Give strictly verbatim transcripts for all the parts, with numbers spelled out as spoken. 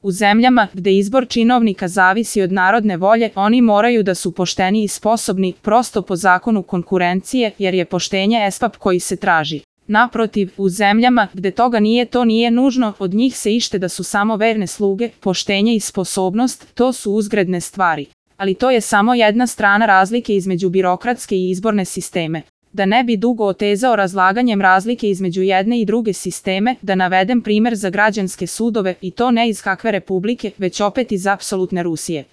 U zemljama gde izbor činovnika zavisi od narodne volje, oni moraju da su pošteni i sposobni, prosto po zakonu konkurencije, jer je poštenje espap koji se traži. Naprotiv, u zemljama gde toga nije, to nije nužno, od njih se ište da su samo verne sluge, poštenje i sposobnost, to su uzgredne stvari. Ali to je samo jedna strana razlike između birokratske i izborne sisteme. Da ne bi dugo otezao razlaganjem razlike između jedne i druge sisteme, da navedem primer za građanske sudove i to ne iz kakve republike, već opet iz apsolutne Rusije.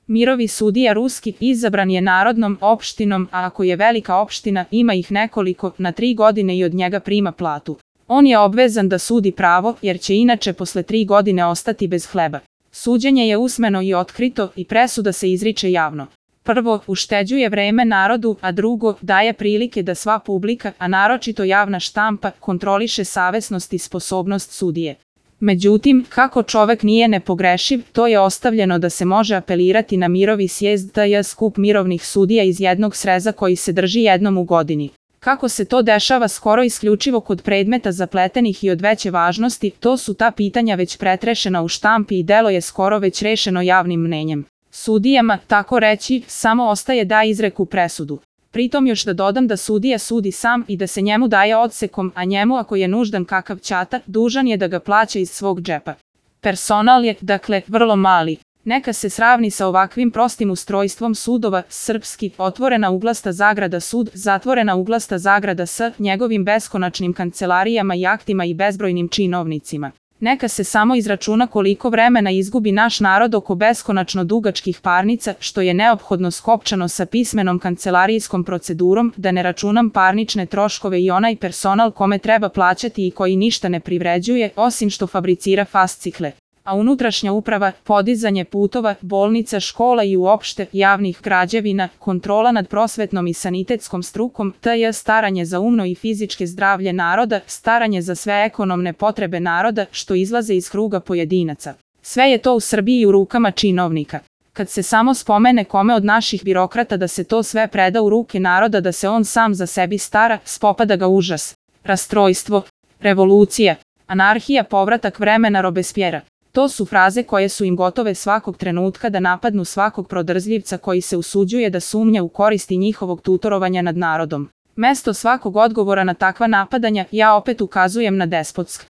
Mirovi sudija ruski izabran je narodnom opštinom, a ako je velika opština, ima ih nekoliko, na tri godine i od njega prima platu. On je obvezan da sudi pravo, jer će inače posle tri godine ostati bez hleba. Suđenje je usmeno i otkrito i presuda se izriče javno. Prvo, ušteđuje vreme narodu, a drugo, daje prilike da sva publika, a naročito javna štampa, kontroliše savesnost i sposobnost sudije. Međutim, kako čovek nije nepogrešiv, to je ostavljeno da se može apelirati na mirovi sjezd, tj. skup mirovnih sudija iz jednog sreza koji se drži jednom u godini. Kako se to dešava skoro isključivo kod predmeta zapletenih i od veće važnosti, to su ta pitanja već pretrešena u štampi i delo je skoro već rešeno javnim mnenjem. Sudijama, tako reći, samo ostaje da izreku presudu. Pritom još da dodam da sudija sudi sam i da se njemu daje odsekom, a njemu ako je nuždan kakav ćata, dužan je da ga plaća iz svog džepa. Personal je, dakle, vrlo mali. Neka se sravni sa ovakvim prostim ustrojstvom sudova, srpski, otvorena uglasta zagrada sud, zatvorena uglasta zagrada s njegovim beskonačnim kancelarijama i aktima i bezbrojnim činovnicima. Neka se samo izračuna koliko vremena izgubi naš narod oko beskonačno dugačkih parnica, što je neophodno skopčano sa pismenom kancelarijskom procedurom, da ne računam parnične troškove i onaj personal kome treba plaćati i koji ništa ne privređuje, osim što fabricira fascikle. A unutrašnja uprava, podizanje putova, bolnica, škola i uopšte javnih građevina, kontrola nad prosvetnom i sanitetskom strukom, tj. staranje za umno i fizičke zdravlje naroda, staranje za sve ekonomne potrebe naroda, što izlaze iz kruga pojedinaca. Sve je to u Srbiji u rukama činovnika. Kad se samo spomene kome od naših birokrata da se to sve preda u ruke naroda, da se on sam za sebi stara, spopada ga užas, rastrojstvo, revolucija, anarhija, povratak vremena Robespierra. To su fraze koje su im gotove svakog trenutka da napadnu svakog prodrzljivca koji se usuđuje da sumnja u koristi njihovog tutorovanja nad narodom. Mesto svakog odgovora na takva napadanja, ja opet ukazujem na despotsk.